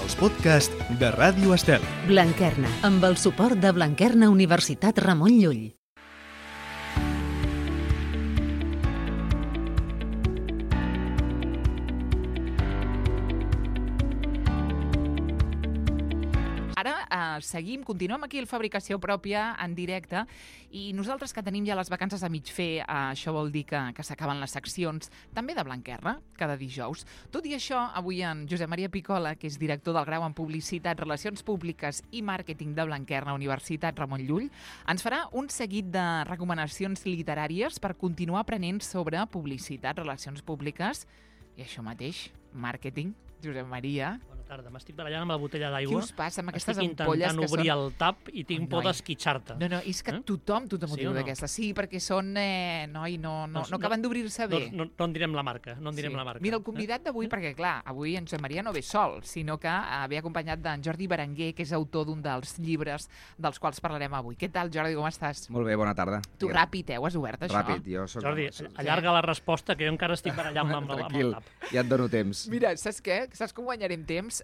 els podcasts de Ràdio Estel. Blanquerna, amb el suport de Blanquerna Universitat Ramon Llull. Seguim, continuem aquí a Fabricació Pròpia en directe i nosaltres que tenim ja les vacances a mig fer, això vol dir que s'acaben les seccions també de Blanquerna, cada dijous. Tot i això, avui en Josep Maria Picola, que és director del grau en Publicitat, Relacions Públiques i Màrqueting de Blanquerna, Universitat Ramon Llull, ens farà un seguit de recomanacions literàries per continuar aprenent sobre publicitat, relacions públiques i això mateix, màrqueting. Josep Maria. Bona tarda. M'estic barallant amb la botella d'aigua. Què us passa amb aquestes ampolles que són... Estic intentant obrir el tap i tinc por d'esquitxar-te. No, és que tothom ho diu d'aquestes. Sí, perquè són... no acaben d'obrir-se bé. No en direm la marca. Mira, el convidat d'avui, perquè clar, avui en Josep Maria no ve sol, sinó que ve acompanyat d'en Jordi Berenguer, que és autor d'un dels llibres dels quals parlarem avui. Què tal, Jordi, com estàs? Molt bé, bona tarda. Tu ràpid, ho has obert, això? Ràpid, jo soc... Jordi, allarga la resposta, que jo encara estic barallant amb el tap. Ja et dono temps. Mira, saps què? Saps com guanyarem temps?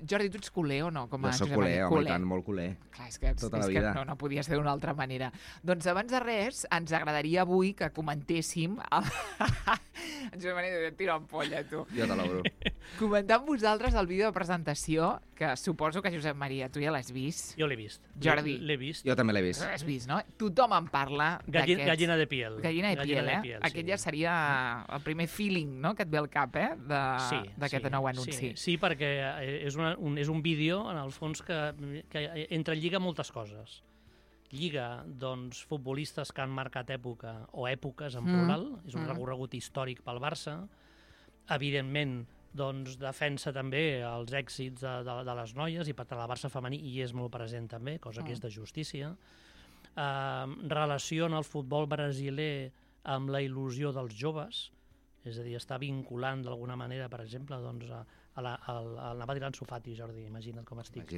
Jordi, tu ets culer o no? Jo soc culer, home, i tant, molt culer. Clar, és que no podia ser d'una altra manera. Doncs abans de res, ens agradaria avui que comentéssim... Josep Maria, tira ampolla, tu. Jo te l'obro. Comentar amb vosaltres el vídeo de presentació, que suposo que, Josep Maria, tu ja l'has vist. Jo l'he vist. Jordi. L'he vist. Jo també l'he vist. L'has vist, no? Tothom en parla d'aquest... Gallina de piel. Gallina de piel, Aquest ja seria el primer feeling, no?, que et ve al cap, d'aquest nou anunci. Sí, perquè és un vídeo, en el fons, que entrelliga moltes coses. Lliga, doncs, futbolistes que han marcat època, o èpoques en plural, és un recorregut històric pel Barça. Evidentment, doncs, defensa també els èxits de les noies, i per tant, el Barça femení hi és molt present també, cosa que és de justícia. Relaciona el futbol brasiler amb la il·lusió dels joves, és a dir, està vinculant d'alguna manera, per exemple, doncs, anava a dir l'Ansu Fati, Jordi, imagina't com estic.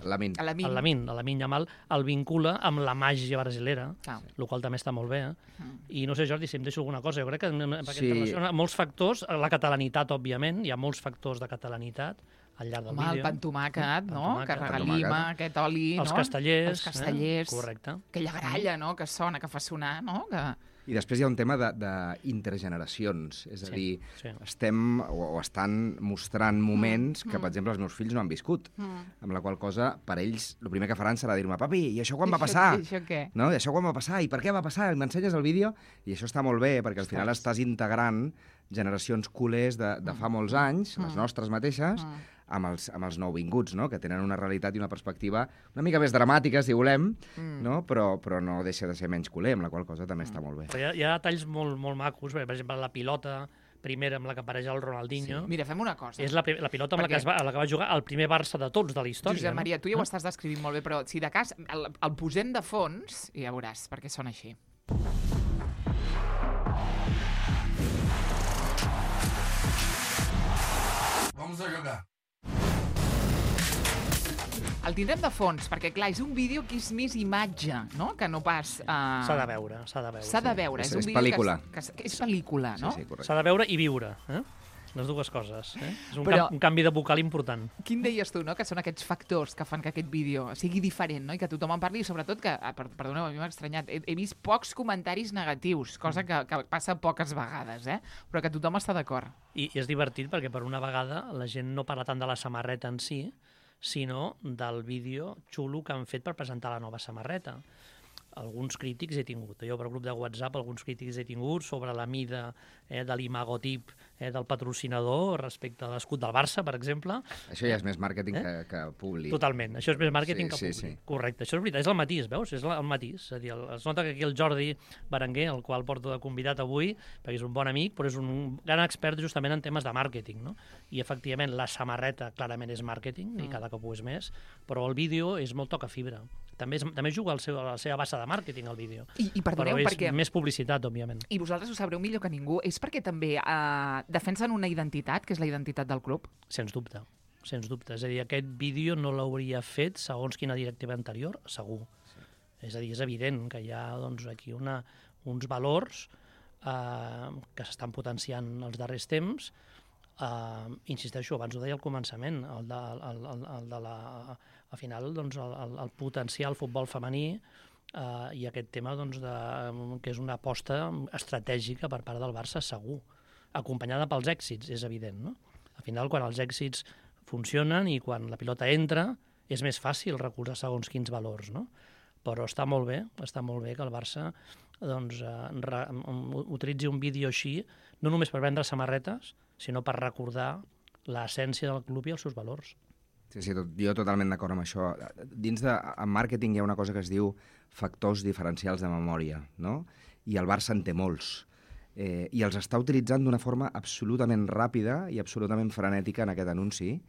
Lamin Yamal el vincula amb la màgia brasilera, el qual també està molt bé. I no sé, Jordi, si em deixo alguna cosa. Jo crec que relaciona molts factors, la catalanitat, òbviament, hi ha molts factors de catalanitat al llarg del vídeo. El pan tomàquet, no?, que regalima, aquest oli, no? Els castellers. Correcte. Aquella gralla, no?, que sona, que fa sonar, no?, I després hi ha un tema d'intergeneracions, és a dir, estem o estan mostrant moments que, per exemple, els meus fills no han viscut, amb la qual cosa, per ells, el primer que faran serà dir-me, papi, i això quan va passar? I això què? No? I això quan va passar? I per què va passar? I m'ensenyes el vídeo? I això està molt bé, perquè al final estàs integrant generacions culers de fa molts anys, les nostres mateixes, amb els nouvinguts, no?, que tenen una realitat i una perspectiva una mica més dramàtica, si volem, no? Però no deixa de ser menys culer, amb la qual cosa també està molt bé. Hi ha detalls molt macos, per exemple, la pilota primera amb la que apareix el Ronaldinho. Sí. Mira, fem una cosa. És la pilota amb la que va jugar el primer Barça de tots de la història. Josep Maria, tu ja ho estàs descrivint molt bé, però si de cas el posem de fons i ja veuràs perquè sona així. Vamos a jugar. El tindrem de fons, perquè, clar, és un vídeo que és més imatge, no?, que no pas... S'ha de veure. És pel·lícula. És pel·lícula, no? Sí, correcte. S'ha de veure i viure, les dues coses. És un canvi de vocal important. Quin deies tu, no?, que són aquests factors que fan que aquest vídeo sigui diferent, no?, i que tothom en parli, i sobretot que, perdoneu, a mi m'ha estranyat, he vist pocs comentaris negatius, cosa que passa poques vegades, però que tothom està d'acord. I és divertit perquè, per una vegada, la gent no parla tant de la samarreta en si, sinó del vídeo xulo que han fet per presentar la nova samarreta. Alguns crítics he tingut. Jo, per grup de WhatsApp, alguns crítics he tingut sobre la mida de l'imagotip del patrocinador respecte a l'escut del Barça, per exemple. Això ja és més màrqueting que públic. Totalment. Això és més màrqueting que públic. Sí. Correcte. Això és veritat. És el matís, veus? És el matís. És a dir, es nota que aquí el Jordi Berenguer, el qual porto de convidat avui, perquè és un bon amic, però és un gran expert justament en temes de màrqueting, no? I, efectivament, la samarreta clarament és màrqueting, i cada cop ho és més, però el vídeo és molt toca fibra. També juga a la seva base de màrqueting, el vídeo. I perdoneu, però és perquè... més publicitat, òbviament. I vosaltres ho sabreu millor que ningú. És perquè també defensen una identitat, que és la identitat del club? Sens dubte. És a dir, aquest vídeo no l'hauria fet segons quina directiva anterior, segur. Sí. És a dir, és evident que hi ha doncs, aquí uns valors que s'estan potenciant els darrers temps. insisteixo, abans ho deia al començament, al final, doncs, el potencial futbol femení i aquest tema doncs, que és una aposta estratègica per part del Barça, segur, acompanyada pels èxits, és evident, no? Al final, quan els èxits funcionen i quan la pilota entra, és més fàcil recolzar segons quins valors, no? Però està molt bé que el Barça doncs, utilitzi un vídeo així, no només per vendre samarretes, sinó per recordar l'essència del club i els seus valors. Sí, jo totalment d'acord amb això. En màrqueting hi ha una cosa que es diu factors diferencials de memòria, no? I el Barça en té molts. I els està utilitzant d'una forma absolutament ràpida i absolutament frenètica en aquest anunci,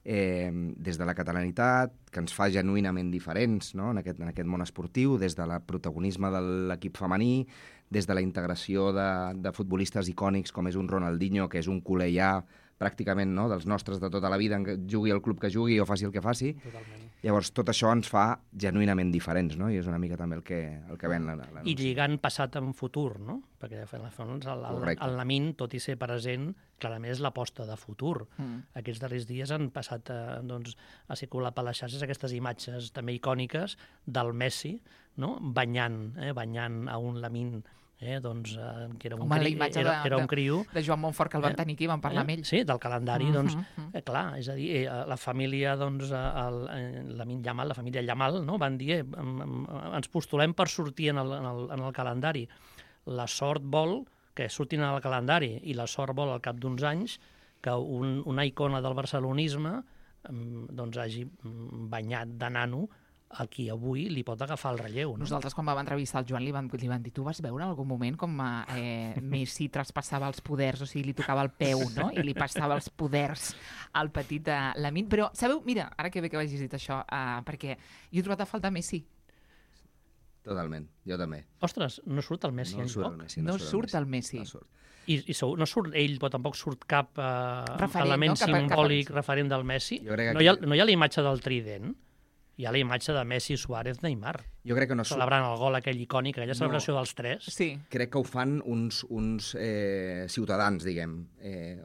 des de la catalanitat, que ens fa genuïnament diferents, no? en aquest món esportiu, des de la protagonisme de l'equip femení, des de la integració de futbolistes icònics com és un Ronaldinho, que és un culer ja pràcticament, no? dels nostres de tota la vida, jugui al club que jugui o faci el que faci. Totalment. Llavors, tot això ens fa genuïnament diferents, no? I és una mica també el que ven l'anunci. I lligant passat amb futur, no? Perquè el Lamine, tot i ser present, clarament és l'aposta de futur. Aquests darrers dies han passat a circular per les xarxes aquestes imatges també icòniques del Messi, no? banyant a un Lamine, que era un criu. De Joan Montfort, que el van tenir aquí, van parlar amb ell. Sí, del calendari, clar, és a dir, la família, Lamine Yamal, la família Yamal, no? van dir, ens postulem per sortir en el calendari. La sort vol que surtin al calendari i la sort vol al cap d'uns anys que una icona del barcelonisme hagi banyat de nano a qui avui li pot agafar el relleu. No? Nosaltres, quan vam entrevistar el Joan, li van dir, tu vas veure en algun moment com Messi traspassava els poders, o sigui, li tocava el peu, no? I li passava els poders al petit Lamine. Però, sabeu, mira, ara que bé que hagis dit això, perquè jo he trobat a faltar Messi. Totalment, jo també. Ostres, no surt el Messi enlloc? No surt el Messi. I no surt ell, però tampoc surt cap element simbòlic referent del Messi. No hi ha la imatge del trident. Hi ha la imatge de Messi, Suárez, Neymar. Jo crec que no celebrant el gol aquell icònic, aquella celebració dels tres. Sí. Crec que ho fan uns ciutadans, diguem.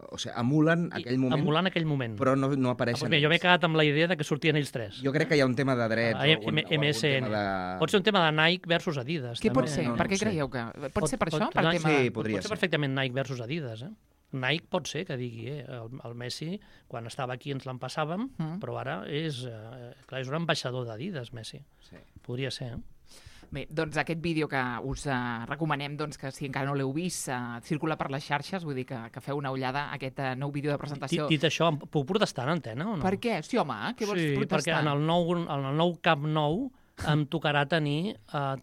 O sigui, emulen aquell moment. Emulant aquell moment. Però no apareixen ells. Jo m'he quedat amb la idea de que sortien ells tres. Jo crec que hi ha un tema de dret. MSN. Pot ser un tema de Nike versus Adidas. Què pot ser? Per què creieu que... Pot ser per això? Sí, podria ser. Pot ser perfectament Nike versus Adidas, Nike pot ser que digui, el Messi, quan estava aquí ens l'empassàvem, però ara és un ambaixador d'Adidas, Messi. Sí. Podria ser, Bé, doncs aquest vídeo que us recomanem, doncs, que si encara no l'heu vist, circula per les xarxes, vull dir que feu una ullada a aquest nou vídeo de presentació. Dit això, puc protestar en antena o no? Per què? Sí, home, què vols protestar? Sí, perquè en el nou Camp Nou em tocarà tenir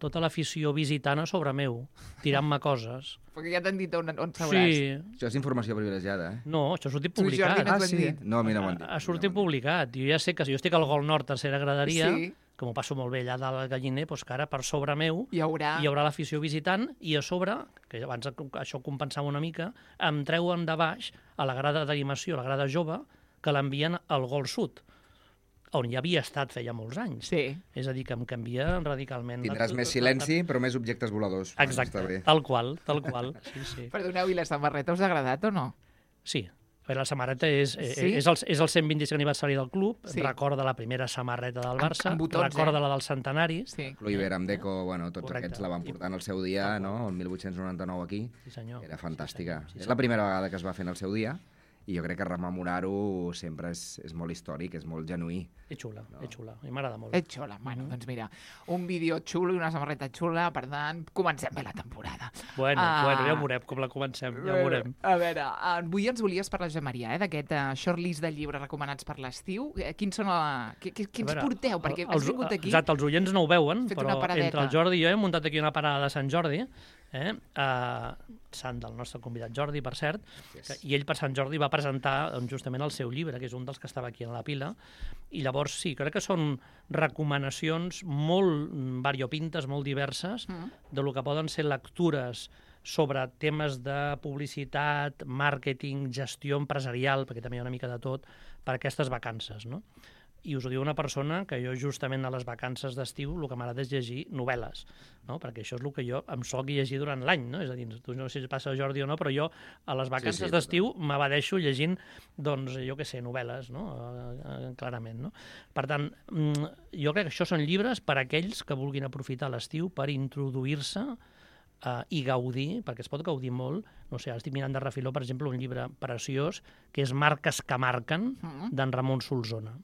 tota l'afició visitant a sobre meu, tirant-me coses. Perquè ja t'han dit on seuràs. Sí. Això és informació privilegiada, No, això ha sortit publicat. Sí? No, a mi no m'ho han dit. Ha sortit publicat. Jo ja sé que si jo estic al Gol Nord, tercera graderia, que m'ho passo molt bé allà dalt al Galliner, doncs que ara per sobre meu hi haurà l'afició visitant i a sobre, que abans això compensava una mica, em treuen de baix a la grada d'animació, la grada jove, que l'envien al Gol Sud, on ja havia estat feia molts anys. Sí. És a dir, que em canvia radicalment. Tindràs més silenci, però més objectes voladors. Exacte, tal qual. Sí. Perdoneu, i la samarreta us ha agradat o no? Sí. La samarreta és el 125 aniversari del club, recorda la primera samarreta del Barça, recorda la del centenari. Kluivert amb Deco, tots aquests la van portar en el seu dia, no? El 1899 aquí. Sí, senyor. Era fantàstica. És la primera vegada que es va fer en el seu dia. I jo crec que rememorar-ho sempre és molt històric, és molt genuí. És xula, i m'agrada molt. És xula, bueno, doncs mira, un vídeo xulo i una samarreta xula, per tant, comencem bé la temporada. Bueno, ja veurem com la comencem, ja veurem. A veure, avui ens volies parlar, Josep Maria, d'aquest shortlist de llibres recomanats per l'estiu. Quins són quins porteu? Perquè has vingut aquí... Exacte, els oients no ho veuen, però entre el Jordi i jo hem muntat aquí una parada de Sant Jordi, sant del nostre convidat Jordi, per cert, i ell per Sant Jordi va presentar justament el seu llibre, que és un dels que estava aquí en la pila, i llavors sí, crec que són recomanacions molt variopintes, molt diverses, de lo que poden ser lectures sobre temes de publicitat, màrqueting, gestió empresarial, perquè també hi ha una mica de tot, per aquestes vacances, no? I us ho diu una persona que jo justament a les vacances d'estiu el que m'agrada és llegir novel·les, no? Perquè això és el que jo em soc llegir durant l'any, no? És a dir, tu no sé si passa Jordi o no, però jo a les vacances d'estiu m'abadeixo llegint, doncs, jo què sé, novel·les, no? Clarament, no? Per tant, jo crec que això són llibres per a aquells que vulguin aprofitar l'estiu per introduir-se i gaudir, perquè es pot gaudir molt. No sé, ara estic mirant de refiló, per exemple, un llibre preciós que és Marques que marquen, d'en Ramon Solsona.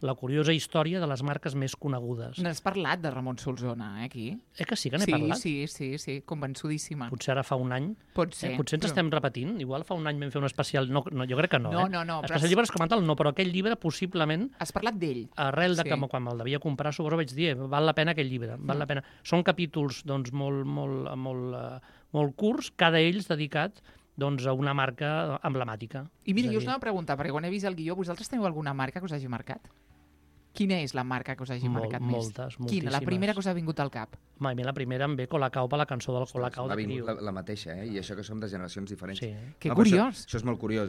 La curiosa història de les marques més conegudes. N'has parlat de Ramon Solsona, aquí? Que sí que n'he parlat? Sí, convençudíssima. Potser ara fa un any. Pot ser. Potser ens estem repetint. Igual fa un any vam fer un especial... No, jo crec que no, No. Especial llibres com a tal, no, però aquell llibre possiblement... Has parlat d'ell. Arrel de que quan me'l devia comprar, suposo vaig dir, val la pena aquell llibre, val la pena. Són capítols, doncs, molt curts, cada ells dedicat doncs, a una marca emblemàtica. I mira, jo us anava a preguntar, perquè quan he vist el guió, vosaltres teniu alguna marca que us hagi marcat? Quina és la marca que us hagi marcat més? Moltíssimes. Quina? La primera que us ha vingut al cap? A mi la primera em ve Colacao per la cançó del Colacao de Criu. M'ha vingut la mateixa, i això que som de generacions diferents. Sí. Que curiós. Això és molt curiós,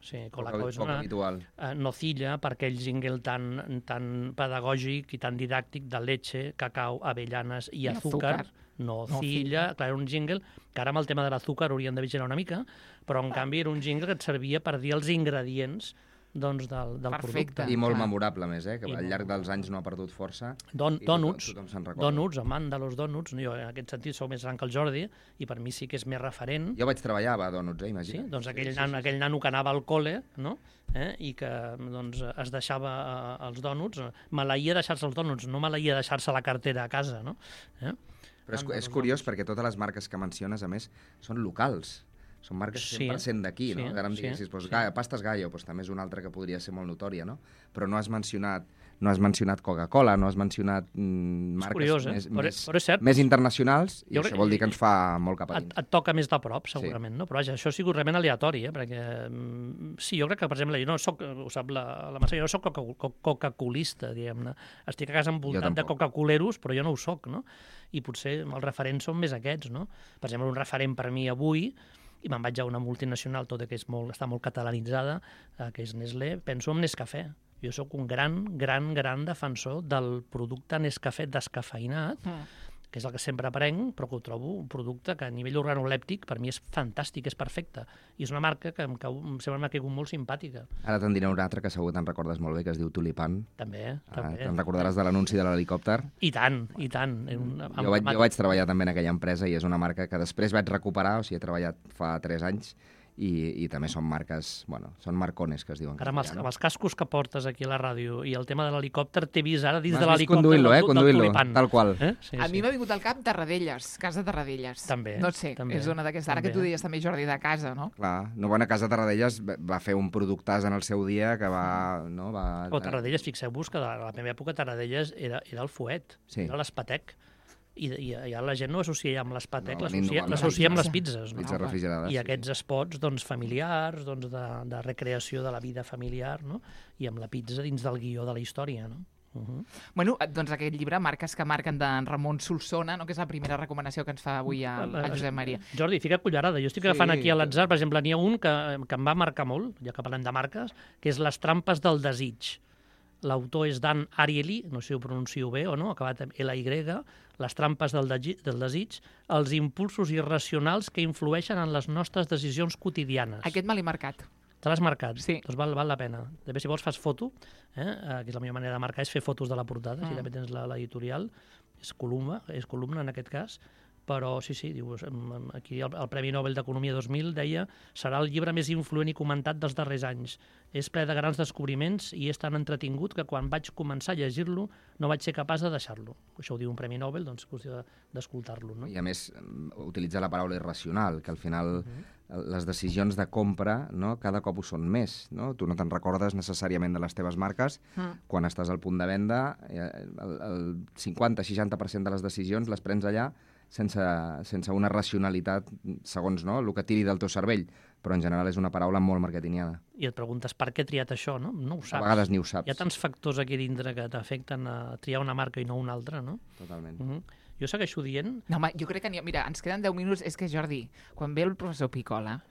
Sí, Colacao és una... habitual. Nocilla, per aquell jingle tan pedagògic i tan didàctic de leche, cacao, avellanes i azúcar. Nocilla, clar, era un jingle que ara amb el tema de l'azúcar haurien de vigilar una mica, però en canvi era un jingle que et servia per dir els ingredients doncs, del producte. I molt memorable, més, que al llarg dels anys no ha perdut força. Donuts, tothom se'n recorda. Donuts, amant de los donuts. Jo en aquest sentit sou més gran que el Jordi i per mi sí que és més referent. Jo vaig treballar a Donuts, imagina't. Sí, doncs aquell nano que anava al col·le, no? I que doncs, es deixava els donuts. Maleïa deixar-se els donuts, no maleïa deixar-se la cartera a casa, no? Però és curiós perquè totes les marques que menciones, a més, són locals. Són marques 100% d'aquí, no? Ara em diguessis, Pastes Gallo, també és una altra que podria ser molt notòria, no? Però no has mencionat Coca-Cola, no has mencionat marques més internacionals, i això vol dir que ens fa molt cap a dins. Et toca més de prop, segurament, no? Però vaja, això ha sigut realment aleatori, perquè sí, jo crec que, per exemple, jo no soc, ho sap la Mercè, jo no soc coca-colista, diguem-ne. Estic a casa envoltat de coca-coleros, però jo no ho soc, no? I potser els referents són més aquests, no? Per exemple, un referent per mi avui, i me'n vaig a una multinacional, tot i que està molt catalanitzada, que és Nestlé, penso en Nescafè. Jo sóc un gran defensor del producte Nescafè descafeïnat, que és el que sempre prenc, però que ho trobo un producte que a nivell organolèptic per mi és fantàstic, és perfecte. I és una marca que sempre m'ha caigut molt simpàtica. Ara te'n diré una altra que segur te'n recordes molt bé, que es diu Tulipan. També. Te'n recordaràs de l'anunci de l'helicòpter? I tant. Jo vaig treballar també en aquella empresa i és una marca que després vaig recuperar, o sigui, he treballat fa 3 anys, i també són marques, són marcones, que es diuen. Ara, amb els cascos que portes aquí a la ràdio i el tema de l'helicòpter, t'he vist ara dins de l'helicòpter conduint-lo, del Tulipan. Tal qual. A mi m'ha vingut al cap Tarradellas, Casa Tarradellas. També. No sé, és una d'aquestes. Ara que tu deies també, Jordi, de casa, no? Clar, Casa Tarradellas va fer un productàs en el seu dia que va... Però Tarradellas, fixeu-vos que a la meva època Tarradellas era el fuet, era l'espatec. I ja la gent no associa amb l'espatec, l'associa amb les pizzas. Pizzas refrigerades. I aquests espots familiars, de recreació de la vida familiar, i amb la pizza dins del guió de la història. Bueno, doncs aquest llibre, Marques que marquen, d'en Ramon Solsona, que és la primera recomanació que ens fa avui a Josep Maria. Jordi, fica cullerada. Jo estic agafant aquí a l'atzar, per exemple, n'hi ha un que em va marcar molt, ja que parlem de marques, que és Les trampes del desig. L'autor és Dan Ariely, no sé si ho pronuncio bé o no, acabat amb L-Y, Les trampes del desig, els impulsos irracionals que influeixen en les nostres decisions quotidianes. Aquest me l'he marcat. Te l'has marcat? Sí. Doncs val la pena. També, si vols, fas foto, que és la millor manera de marcar, és fer fotos de la portada, si també tens l'editorial, és columna en aquest cas, però sí, dius, aquí el Premi Nobel d'Economia 2000 deia serà el llibre més influent i comentat dels darrers anys. És ple de grans descobriments i és tan entretingut que quan vaig començar a llegir-lo no vaig ser capaç de deixar-lo. Això ho diu un Premi Nobel, doncs és qüestió d'escoltar-lo. No? I a més, utilitza la paraula irracional, que al final les decisions de compra cada cop ho són més. No? Tu no te'n recordes necessàriament de les teves marques. Quan estàs al punt de venda, el 50-60% de les decisions les prens allà sense una racionalitat segons el que tiri del teu cervell, però en general és una paraula molt marketingiana. I et preguntes per què he triat això, no? No ho saps. A vegades ni ho saps. Hi ha tants factors aquí dintre que t'afecten a triar una marca i no una altra, no? Totalment. Jo segueixo dient... No, home, jo crec que mira, ens queden 10 minuts. És que, Jordi, quan ve el professor Picola,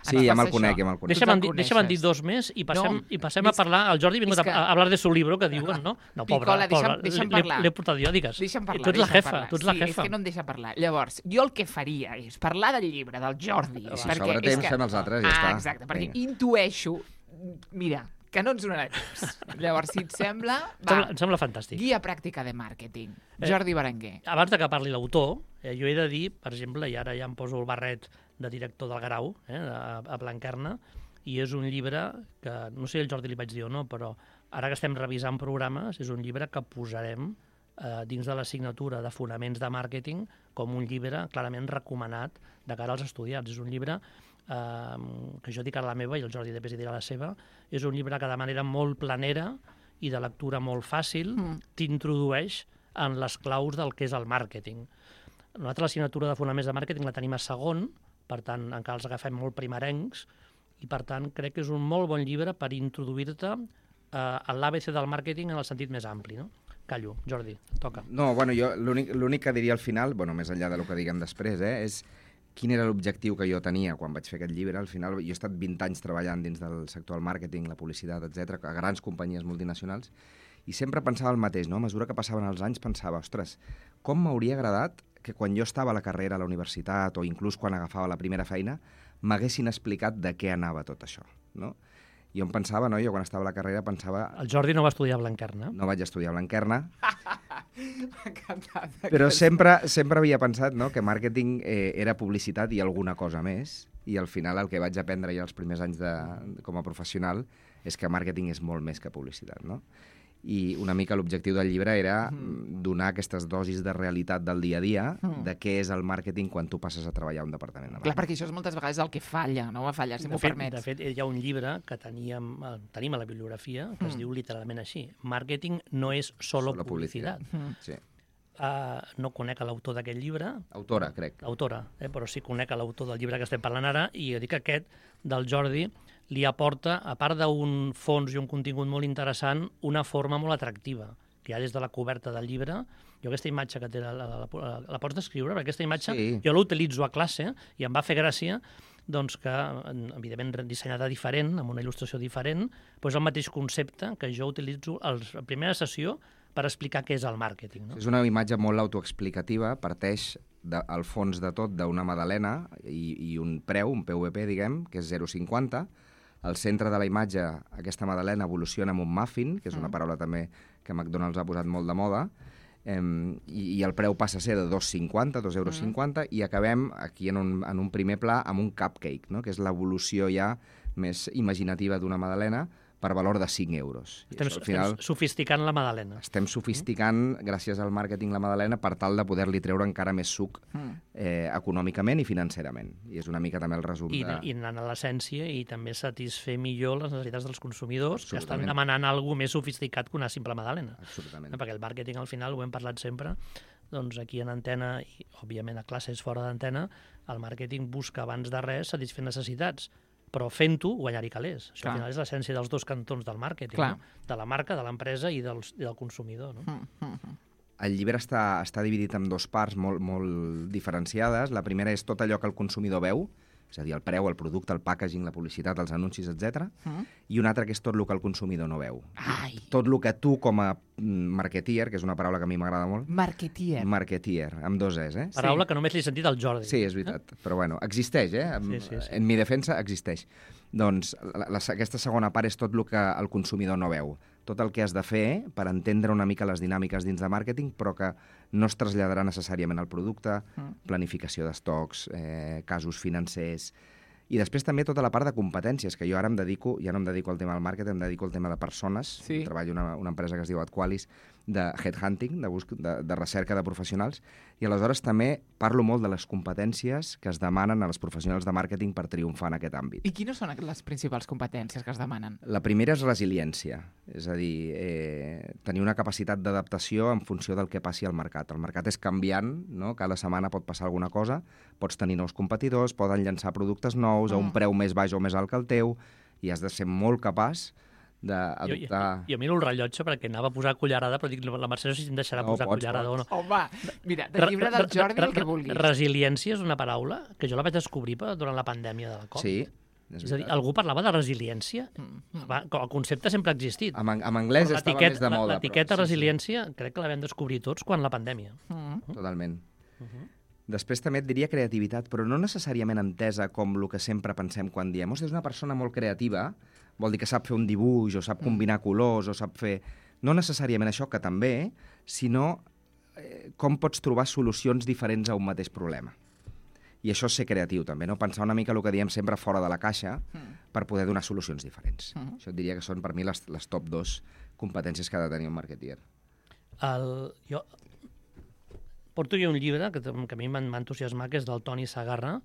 Sí, ja me'l conec, ja me'l conec. Deixa'm dir dos més i passem a parlar. El Jordi ha vingut a hablar de su libro, que diuen, no? No, Picola, deixa'm parlar. L'he portat jo, digues. Deixa'm parlar. Tu ets la jefa. Sí, és que no em deixa parlar. Llavors, jo el que faria és parlar del llibre del Jordi. Si sobra temps, fem els altres, ja està. Exacte, perquè intueixo... Mira, que no ens donarà temps. Llavors, si et sembla... Em sembla fantàstic. Guia pràctica de màrqueting. Jordi Berenguer. Abans de que parli l'autor, jo he de dir, per exemple, i ara ja em poso el barret de director del Grau, a Blanquerna, i és un llibre que, no sé si el Jordi li vaig dir o no, però ara que estem revisant programes, és un llibre que posarem dins de l'assignatura de fonaments de màrqueting com un llibre clarament recomanat de cara als estudiants. És un llibre que jo dic ara la meva i el Jordi després hi dirà la seva, és un llibre que de manera molt planera i de lectura molt fàcil t'introdueix en les claus del que és el màrqueting. Nosaltres l'assignatura de fonaments de màrqueting la tenim a segon, per tant encara els agafem molt primerencs, i per tant crec que és un molt bon llibre per introduir-te a l'ABC del màrqueting en el sentit més ampli, no? Callo, Jordi, toca. No, bueno, jo l'únic que diria al final, bueno, més enllà del que diguem després, és quin era l'objectiu que jo tenia quan vaig fer aquest llibre. Al final, jo he estat 20 anys treballant dins del sector del màrqueting, la publicitat, etc, a grans companyies multinacionals, i sempre pensava el mateix, no? A mesura que passaven els anys pensava, ostres, com m'hauria agradat que quan jo estava a la carrera a la universitat o inclús quan agafava la primera feina, m'haguessin explicat de què anava tot això, no? Jo em pensava, no? Jo quan estava a la carrera pensava... El Jordi no va estudiar a Blanquerna. No vaig estudiar a Blanquerna. Però sempre havia pensat, no?, que màrqueting era publicitat i alguna cosa més, i al final el que vaig aprendre ja els primers anys com a professional és que màrqueting és molt més que publicitat, no? I una mica l'objectiu del llibre era donar aquestes dosis de realitat del dia a dia de què és el màrqueting quan tu passes a treballar a un departament de màrqueting. Clar, perquè això és moltes vegades el que falla, no va fallar, si m'ho permets. De fet, hi ha un llibre que tenim a la bibliografia que es diu literalment així: Màrqueting no és solo publicitat. Sí. No conec l'autor d'aquest llibre. Autora, crec. Autora, però sí conec l'autor del llibre que estem parlant ara, i jo dic que aquest, del Jordi, li aporta, a part d'un fons i un contingut molt interessant, una forma molt atractiva, que hi ha des de la coberta del llibre. Jo aquesta imatge que té la pots descriure? Perquè aquesta imatge jo l'utilitzo a classe i em va fer gràcia doncs que, evidentment dissenyada diferent, amb una il·lustració diferent, però és el mateix concepte que jo utilitzo a la primera sessió per explicar què és el màrqueting. No? És una imatge molt autoexplicativa, parteix al fons de tot d'una magdalena i un preu, un PVP, diguem, que és 0,50. Al centre de la imatge, aquesta magdalena evoluciona amb un muffin, que és una paraula també que McDonald's ha posat molt de moda, i el preu passa a ser de 2,50, 2,50 €, i acabem aquí en un primer pla amb un cupcake, no?, que és l'evolució ja més imaginativa d'una magdalena, per valor de 5 €. Estem sofisticant la magdalena. Estem sofisticant, gràcies al màrqueting, la magdalena per tal de poder-li treure encara més suc econòmicament i financerament. I és una mica també el resum I anant a l'essència i també satisfer millor les necessitats dels consumidors que estan demanant alguna més sofisticat que una simple magdalena. Absolutament. Perquè el màrqueting, al final, ho hem parlat sempre, doncs aquí en antena, i òbviament a classes fora d'antena, el màrqueting busca abans de res satisfer necessitats, però fent-ho guanyar-hi calés. Això al final és l'essència dels dos cantons del màrqueting, no? De la marca, de l'empresa i del consumidor. No? El llibre està dividit en dues parts molt diferenciades. La primera és tot allò que el consumidor veu, és a dir, el preu, el producte, el packaging, la publicitat, els anuncis, etc. I una altra que és tot el que el consumidor no veu. Tot el que tu, com a marketeer, que és una paraula que a mi m'agrada molt... Marketeer. Marketeer, amb dos es, Paraula que només l'he sentit al Jordi. Sí, és veritat. Però bueno, existeix, Sí. En mi defensa existeix. Doncs aquesta segona part és tot el que el consumidor no veu. Tot el que has de fer per entendre una mica les dinàmiques dins de màrqueting, però que no es traslladarà necessàriament al producte, planificació d'estocs, casos financers, i després també tota la part de competències, que jo ara ja no em dedico al tema del màrqueting, em dedico al tema de persones. Treballo en una empresa que es diu Adqualis, de headhunting, de recerca de professionals, i aleshores també parlo molt de les competències que es demanen a les professionals de màrqueting per triomfar en aquest àmbit. I quines són les principals competències que es demanen? La primera és resiliència, és a dir, tenir una capacitat d'adaptació en funció del que passi al mercat. El mercat és canviant, no? Cada setmana pot passar alguna cosa, pots tenir nous competidors, poden llançar productes nous a un preu més baix o més alt que el teu, i has de ser molt capaç d'adoptar... Jo miro el rellotge perquè anava a posar cullerada, però dic, la Mercè no sé si em deixarà posar cullerada o no. Home, mira, del llibre del Jordi el que vulguis. Resiliència és una paraula que jo la vaig descobrir durant la pandèmia de la Covid. Sí. És a dir, algú parlava de resiliència? El concepte sempre ha existit. En anglès estava més de moda. L'etiqueta resiliència crec que la vam descobrir tots quan la pandèmia. Totalment. Després també et diria creativitat, però no necessàriament entesa com el que sempre pensem quan diem és una persona molt creativa, vol dir que sap fer un dibuix, o sap combinar colors, o sap fer... No necessàriament això, que també, sinó com pots trobar solucions diferents a un mateix problema. I això és ser creatiu, també, no? Pensar una mica el que diem sempre fora de la caixa per poder donar solucions diferents. Això et diria que són, per mi, les top 2 competències que ha de tenir un marketer. Jo porto jo un llibre que a mi m'ha entusiasmat, que és del Toni Segarra,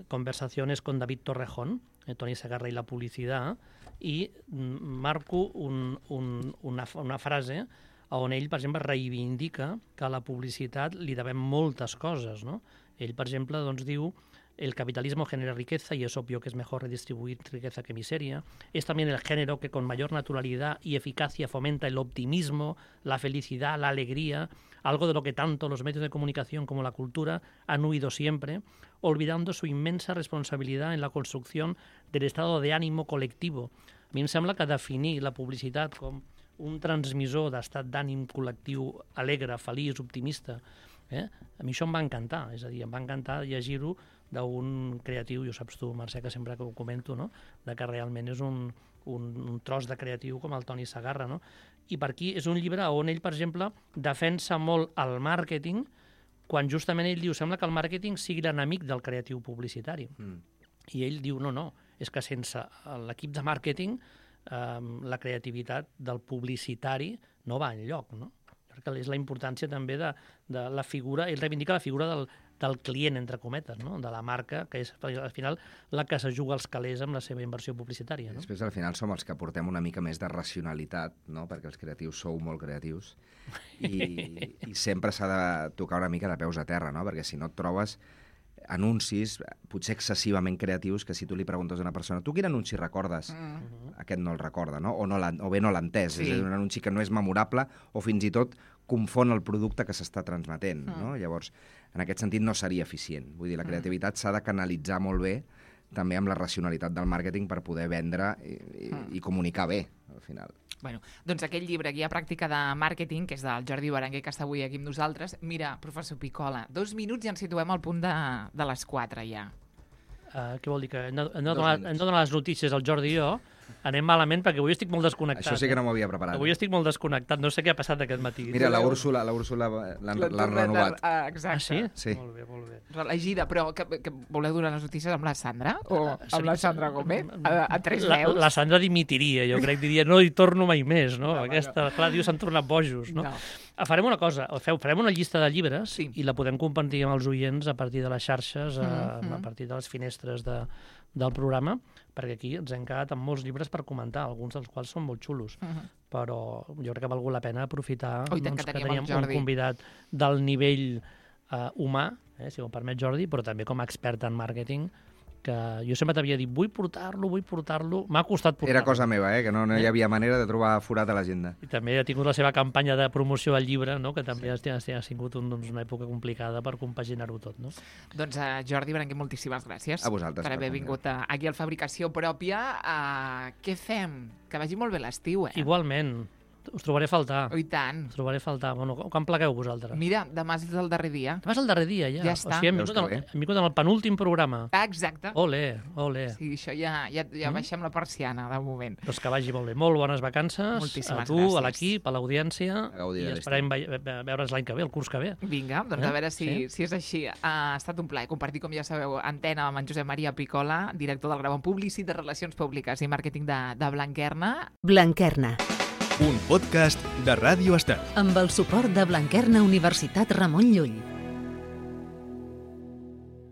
Conversaciones con David Torrejón, Toni Segarra i la publicitat, i marco una frase on ell, per exemple, reivindica que a la publicitat li devem moltes coses, no? Ell, per exemple, doncs, diu el capitalismo genera riqueza y es obvio que es mejor redistribuir riqueza que miseria. Es también el género que con mayor naturalidad y eficacia fomenta el optimismo, la felicidad, la alegría, algo de lo que tanto los medios de comunicación como la cultura han huido siempre, olvidando su inmensa responsabilidad en la construcción del estado de ánimo colectivo. A mi em sembla que definir la publicitat com un transmissor d'estat d'ànim col·lectiu alegre, feliç, optimista, a mi això em va encantar, és a dir, em va encantar llegir-ho d'un creatiu, i ho saps tu, Mercè, que sempre que ho comento, no? De que realment és un tros de creatiu com el Toni Segarra, no? I per aquí és un llibre on ell, per exemple, defensa molt el màrqueting, quan justament ell diu, sembla que el màrqueting sigui l'enemic del creatiu publicitari. I ell diu, no, és que sense l'equip de màrqueting la creativitat del publicitari no va enlloc, no? Perquè és la importància també de la figura, ell reivindica la figura del client, entre cometes, no? De la marca, que és al final la que se juga els calés amb la seva inversió publicitària. No? Després al final som els que portem una mica més de racionalitat, no? Perquè els creatius sou molt creatius i sempre s'ha de tocar una mica de peus a terra, no? Perquè si no et trobes anuncis potser excessivament creatius que si tu li preguntes a una persona tu quin anunci recordes? Aquest no el recorda, no? O bé no l'ha entès. És un anunci que no és memorable o fins i tot confon el producte que s'està transmetent, no? Llavors, en aquest sentit no seria eficient. Vull dir, la creativitat s'ha de canalitzar molt bé també amb la racionalitat del màrqueting per poder vendre i comunicar bé, al final. Bueno, doncs aquell llibre, Guia pràctica de màrqueting, que és del Jordi Berenguer, que està avui aquí amb nosaltres. Mira, professor Picola, 2 minuts i ens situem al punt de les 4 ja. Què vol dir? Que hem de donar les notícies al Jordi i jo? Anem malament perquè avui estic molt desconnectat. Això sí que no m'ho havia preparat. Avui estic molt desconnectat, no sé què ha passat aquest matí. Mira, la Úrsula l'ha renovat. Exacte. Sí. Molt bé. Reelegida, però que voleu donar les notícies amb la Sandra? O amb la Sandra Gómez? A 3 veus? La Sandra dimitiria, jo crec, diria, no hi torno mai més, no? Aquesta, clar, diu, s'han tornat bojos, no? Farem una cosa, farem una llista de llibres i la podem compartir amb els oients a partir de les xarxes, a partir de les finestres del programa, perquè aquí ens hem quedat amb molts llibres per comentar, alguns dels quals són molt xulos, però jo crec que ha valgut la pena aprofitar que teníem un convidat del nivell humà, si m'ho permet Jordi, però també com a expert en màrqueting, que jo sempre t'havia dit, vull portar-lo, m'ha costat portar-lo. Era cosa meva, que no hi havia manera de trobar forat a l'agenda. I també ha tingut la seva campanya de promoció del llibre, no? Que també ha sigut una època complicada per compaginar-ho tot. No? Doncs Jordi Berenguer, moltíssimes gràcies a vosaltres per haver vingut aquí al Fabricació Pròpia. Què fem? Que vagi molt bé l'estiu, Igualment. Us trobaré a faltar. I tant. Us trobaré a faltar. Bueno, quan plegueu vosaltres? Mira, demà és el darrer dia. Demà és el darrer dia, ja. Ja està. O sigui, hem vingut en el penúltim programa. Exacte. Ole. Sí, això ja baixem la persiana, de moment. Doncs que vagi molt bé. Molt bones vacances. Moltíssimes a tu, gràcies. A l'equip, a l'audiència. I esperem veure's l'any que ve, el curs que ve. Vinga, doncs a veure si és així. Ha estat un plaer compartir, com ja sabeu, antena amb en Josep Maria Picola, director del Grau en Publicitat, de Relacions Públiques i Màrqueting de Blanquerna. Blanquerna. Un podcast de Ràdio Estel. Amb el suport de Blanquerna Universitat Ramon Llull.